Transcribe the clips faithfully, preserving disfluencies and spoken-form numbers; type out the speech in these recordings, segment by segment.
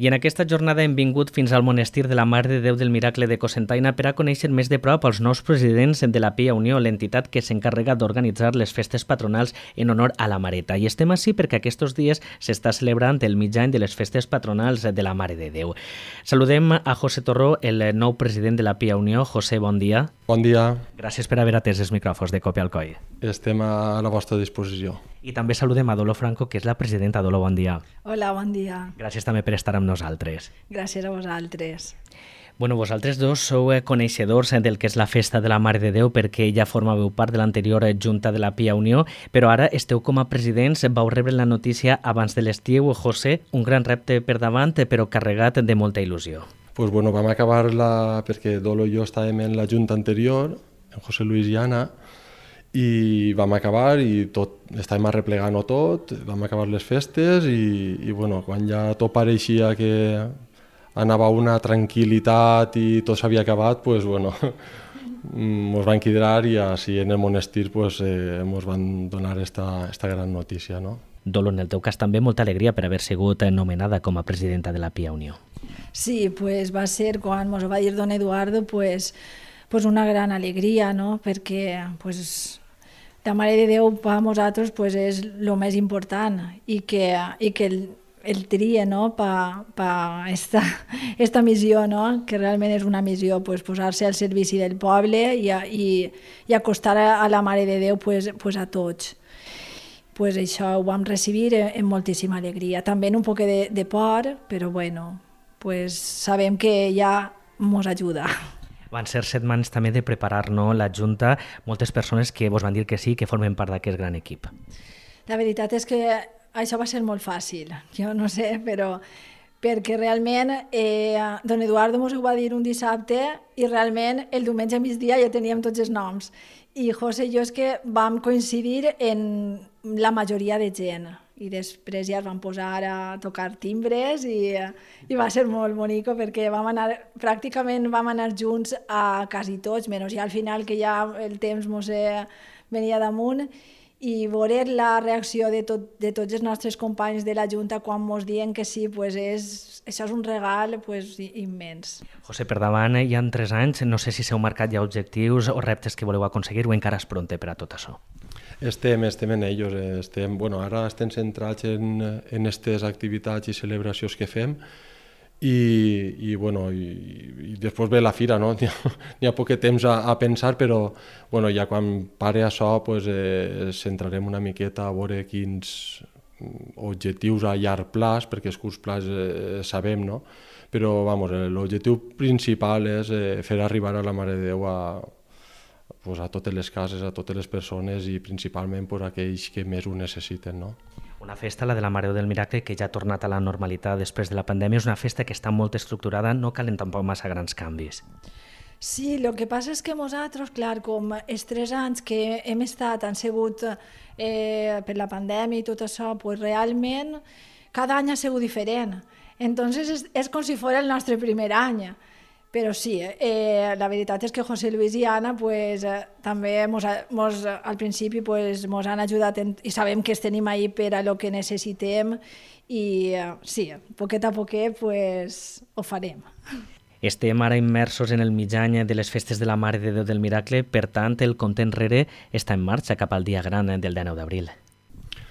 I en aquesta jornada hem vingut fins al monestir de la Mare de Déu del Miracle de Cocentaina per a conèixer més de prop els nous presidents de la Pia Unió, l'entitat que s'encarrega d'organitzar les festes patronals en honor a la Mareta. I estem així perquè aquests dies s'està celebrant el mig any de les festes patronals de la Mare de Déu. Saludem a José Torró, el nou president de la Pia Unió. José, bon dia. Bon dia. Gràcies per haver atès els micròfons de Copi Alcoi. Estem a la vostra disposició. I també saludem a Dolo Franco, que és la presidenta. Dolo, bon dia. Hola, bon dia. Gràcies també per estar amb nosaltres. Gràcies a vosaltres. Bueno, vosaltres dos sou coneixedors del que és la festa de la Mare de Déu perquè ja formàveu part de l'anterior Junta de la Pia Unió, però ara esteu com a presidents, vau rebre la notícia abans de l'estiu. José, un gran repte per davant, però carregat de molta il·lusió. Pues bueno, vam acabar la... perquè Dolo i jo estàvem en la Junta anterior, en José Luis i Anna, i vam acabar i tot, estàvem arreplegant-ho tot, vam acabar les festes i, i bueno, quan ja tot pareixia que anava una tranquil·litat i tot s'havia acabat, pues bueno, ens van quedar i així en el monestir pues, eh, ens van donar esta, esta gran notícia, no? Dolo, en el teu cas també molta alegria per haver sigut nomenada com a presidenta de la Pia Unió. Sí, pues va ser quan ens va dir don Eduardo, pues, pues una gran alegria, no? Perquè pues, la Mare de Déu per a nosaltres pues, és el més important i que, i que el, el tria no? per pa esta, esta missió, no? Que realment és una missió, pues, posar-se al servici del poble i, i, i acostar a la Mare de Déu pues, pues a tots. Pues això ho vam recibir amb moltíssima alegria, també en un poc de, de por, però bueno, pues sabem que ja ens ajuda. Van ser setmanes també de preparar no, la Junta, moltes persones que vos van dir que sí, que formen part d'aquest gran equip. La veritat és que això va ser molt fàcil, jo no sé, però perquè realment eh, don Eduardo ens ho va dir un dissabte i realment el diumenge a migdia ja teníem tots els noms. I José i jo és que vam coincidir en la majoria de gent i després ja es van posar a tocar timbres i, i va ser molt bonico perquè vam anar, pràcticament vam anar junts a quasi tots, menys ja al final que ja el temps mos venia damunt, i veure la reacció de, tot, de tots els nostres companys de la Junta quan ens diuen que sí, pues és, això és un regal pues, immens. José, per davant hi ha tres anys, no sé si s'heu marcat ja objectius o reptes que voleu aconseguir o encara és pronte per a tot això. Estem, estem en ells, estem, bueno, ara estem centrats en, en aquestes activitats i celebracions que fem i, i, bueno, i, i després ve la fira, no? N'hi ha, n'hi ha poc temps a, a pensar, però bueno, ja quan pare això pues, eh, centrarem una miqueta a veure quins objectius a llarg plaç, perquè els curts plaç eh, sabem, no? Però vamos, l'objectiu principal és eh, fer arribar a la Mare de Déu a, pues, a totes les cases, a totes les persones i principalment pues, a aquells que més ho necessiten, no? Una festa, la de la Mare de Déu del Miracle, que ja ha tornat a la normalitat després de la pandèmia, és una festa que està molt estructurada, no calen tampoc massa grans canvis. Sí, el que passa és que nosaltres, clar, com els tres anys que hem estat, han sigut eh, per la pandèmia i tot això, pues realment cada any ha sigut diferent. Entonces és, és com si fos el nostre primer any. Però sí, eh, la veritat és que José Luis i Anna pues, eh, també mos, mos, al principi pues, mos han ajudat en, i sabem que tenim ahí per a lo que necessitem i eh, sí, poquet a poquet pues, ho farem. Estem ara immersos en el mig any de les festes de la Mare de Déu del Miracle, per tant el compte enrere està en marxa cap al dia gran del dinou d'abril.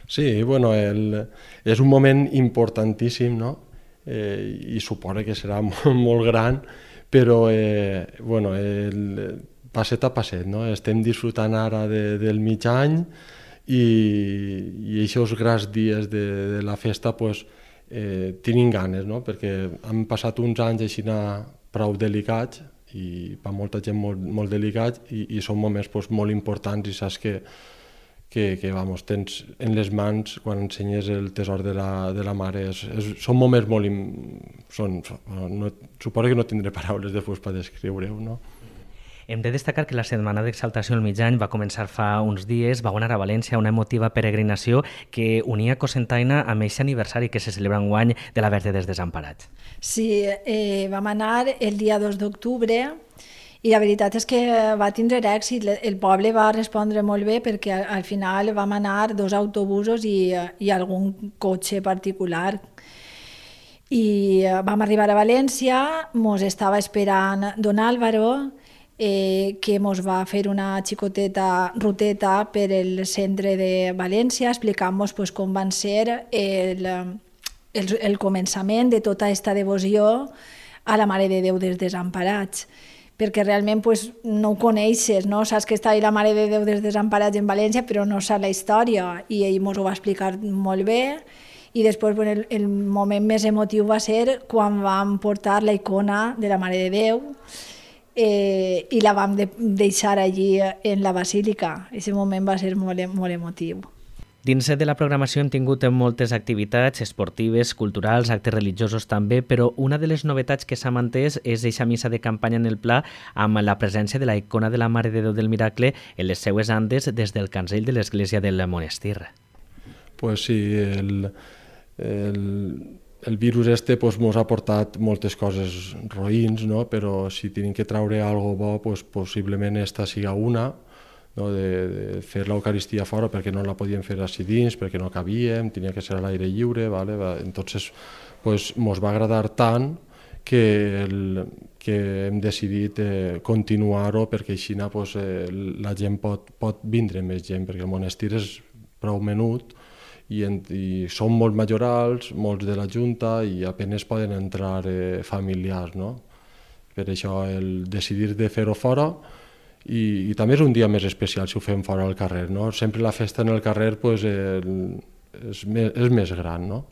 Sí, bueno, el, és un moment importantíssim, no? Eh, i suposa que serà molt, molt gran, però eh, bueno, el, passet a passet, no? Estem disfrutant ara de, del mig any i, i aquests grans dies de, de la festa pues, eh, tenim ganes, no? Perquè han passat uns anys així prou delicats i per molta gent molt, molt delicats i, i són moments pues, molt importants i saps que que, que vamos, tens en les mans quan ensenyes el tesor de la, de la mare. És, és, són moments molt... Im, són, no, suposo que no tindré paraules després per descriure-ho, no? Hem de destacar que la setmana d'exaltació al mig any va començar fa uns dies, va anar a València una emotiva peregrinació que unia Cocentaina amb aquest aniversari que se celebra enguany de la Verge dels Desemparats. Sí, eh, vam anar el dia dos d'octubre i la veritat és que va tindre èxit. El poble va respondre molt bé perquè al final vam anar dos autobusos i, i algun cotxe particular. I vam arribar a València, mos estava esperant don Álvaro, eh, que mos va fer una xicoteta ruteta per el centre de València, explicant-nos pues, com van ser el, el, el començament de tota aquesta devoció a la Mare de Déu dels Desemparats, perquè realment pues, no ho coneixes, no? Saps que està ahí la Mare de Déu dels Desemparats en València, però no saps la història, i ell mos ho va explicar molt bé. I després bueno, el, el moment més emotiu va ser quan vam portar la icona de la Mare de Déu eh, i la vam de, deixar allí en la basílica. Aquest moment va ser molt, molt emotiu. Dins de la programació hem tingut moltes activitats esportives, culturals, actes religiosos també, però una de les novetats que s'ha mantès és eixa missa de campanya en el Pla amb la presència de la icona de la Mare de Déu del Miracle en les seues andes des del cancell de l'església del monestir. Pues sí, el, el, el virus este pues, mos ha portat moltes coses roïns, no? Però si tenim que traure algo bo, pues, possiblement esta siga una, no? de, de fer l'Eucaristia fora perquè no la podíem fer així dins, perquè no cabíem, tenia que ser a l'aire lliure, vale? Entonces pues, mos va agradar tant que, el, que hem decidit eh, continuar-ho perquè així pues, eh, la gent pot, pot vindre més gent, perquè el monestir és prou menut, I, en, i són molt majorals, molts de la Junta, i apenas poden entrar eh, familiars, no? Per això el decidir de fer-ho fora, i, i també és un dia més especial si ho fem fora al carrer, no? Sempre la festa en el carrer pues, el, és, més, és més gran, no?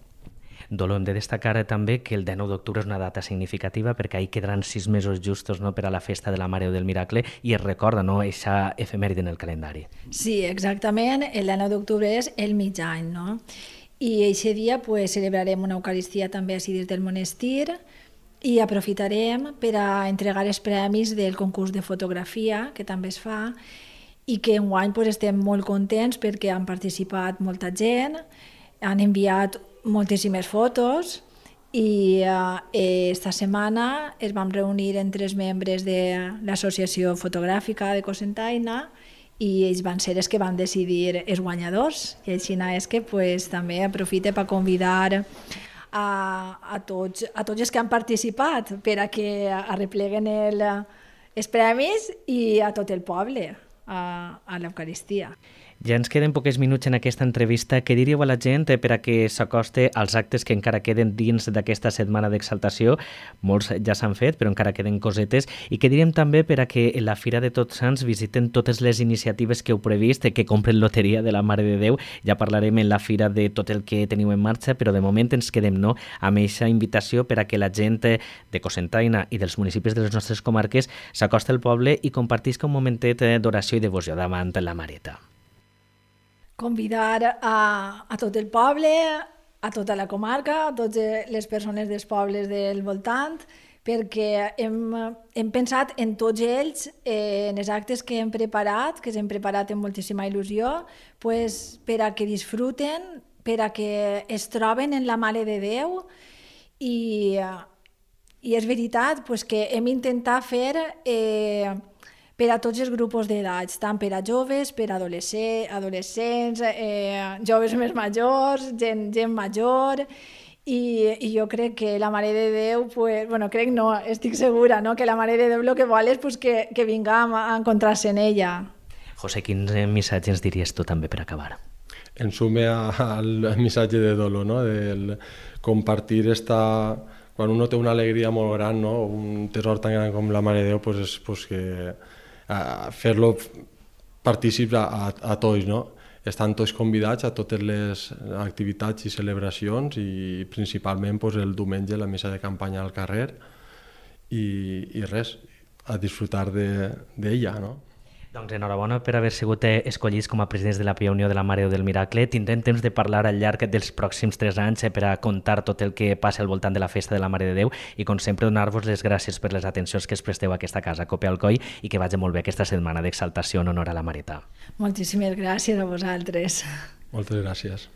Dolo, hem de destacar també que el dinou d'octubre és una data significativa perquè ahir quedaran sis mesos justos, no, per a la festa de la Mare del Miracle i es recorda, no, eixa efemèride en el calendari. Sí, exactament, el dinou d'octubre és el mig any, no? I eixe dia pues, celebrarem una Eucaristia també així des del monestir i aprofitarem per a entregar els premis del concurs de fotografia que també es fa i que enguany pues, estem molt contents perquè han participat molta gent, han enviat moltíssimes fotos i eh, esta setmana es vam reunir entre els membres de l'Associació Fotogràfica de Cocentaina i ells van ser els que van decidir els guanyadors i així és que pues, també aprofite per convidar a, a, tots, a tots els que han participat per a que arrepleguen el, els premis i a tot el poble a, a l'Eucaristia. Ja ens queden pocs minuts en aquesta entrevista. Què diríeu a la gent per a que s'acoste als actes que encara queden dins d'aquesta setmana d'exaltació? Molts ja s'han fet, però encara queden cosetes. I què diríem també per a que en la Fira de Tots Sants visiten totes les iniciatives que heu previst, que compren loteria de la Mare de Déu? Ja parlarem en la Fira de tot el que teniu en marxa, però de moment ens quedem, no?, amb aquesta invitació per a que la gent de Cocentaina i dels municipis de les nostres comarques s'acosta al poble i compartisca un momentet d'oració i devoció davant la Mareta. Convidar a, a tot el poble, a tota la comarca, a totes les persones dels pobles del voltant, perquè hem, hem pensat en tots ells, eh, en els actes que hem preparat, que s'hem preparat amb moltíssima il·lusió, pues, per a que disfruten, per a que es troben en la Mare de Déu i, i és veritat pues, que hem intentat fer eh, per a tots els grups d'edats, tant per a joves, per a adolescents, adolescents eh, joves més majors, gent, gent major, i, i jo crec que la Mare de Déu, pues, bueno, crec no, estic segura, no? Que la Mare de Déu el que vol és pues, que, que vingam a encontrar-se en ella. José, quins missatges ens diries tu també per acabar? En sume al missatge de Dolo, no? Del compartir esta... Quan uno té una alegria molt gran, no? Un tesor tan gran com la Mare de Déu, pues és pues, que a fer-lo partícips a, a, a tots, no? Estan tots convidats a totes les activitats i celebracions i principalment pues, el diumenge la missa de campanya al carrer i, i res, a disfrutar d'ella, no? Doncs enhorabona per haver sigut escollits com a presidents de la Pia Unió de la Mare de Déu del Miracle. Tindrem temps de parlar al llarg dels pròxims tres anys per a contar tot el que passa al voltant de la festa de la Mare de Déu i, com sempre, donar-vos les gràcies per les atencions que es presteu a aquesta casa, Cope Alcoi, i que vagi molt bé aquesta setmana d'exaltació en honor a la Mareta. Moltíssimes gràcies a vosaltres. Moltes gràcies.